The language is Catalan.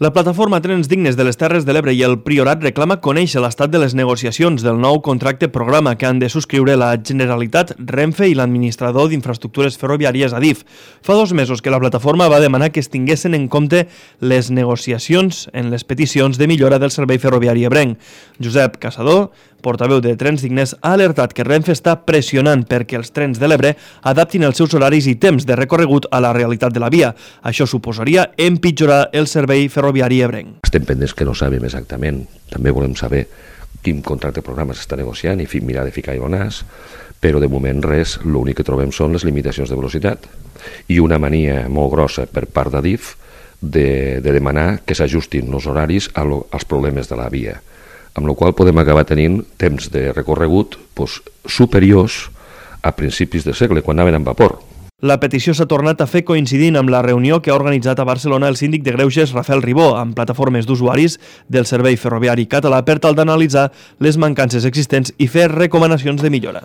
La plataforma Trens Dignes de les Terres de l'Ebre i el Priorat reclama conèixer l'estat de les negociacions del nou contracte programa que han de subscriure la Generalitat, Renfe i l'administrador d'infraestructures ferroviàries Adif. Fa 2 mesos que la plataforma va demanar que es tinguessin en compte les negociacions en les peticions de millora del servei ferroviari ebrenc. Josep Casador, portaveu de Trens Dignes, ha alertat que Renfe està pressionant perquè els trens de l'Ebre adaptin els seus horaris i temps de recorregut a la realitat de la via. Això suposaria empitjorar el servei ferroviari ebrenc. Estem pendents que no sabem exactament. També volem saber quin contracte programa s'està negociant i mirar de ficar-hi el nas, però de moment res, l'únic que trobem són les limitacions de velocitat i una mania molt grossa per part d'Adif de demanar que s'ajustin els horaris als problemes de la via, amb la qual podem acabar tenint temps de recorregut superiors a principis de segle, quan anaven amb vapor. La petició s'ha tornat a fer coincidint amb la reunió que ha organitzat a Barcelona el síndic de Greuges, Rafael Ribó, amb plataformes d'usuaris del servei ferroviari català per tal d'analitzar les mancances existents i fer recomanacions de millora.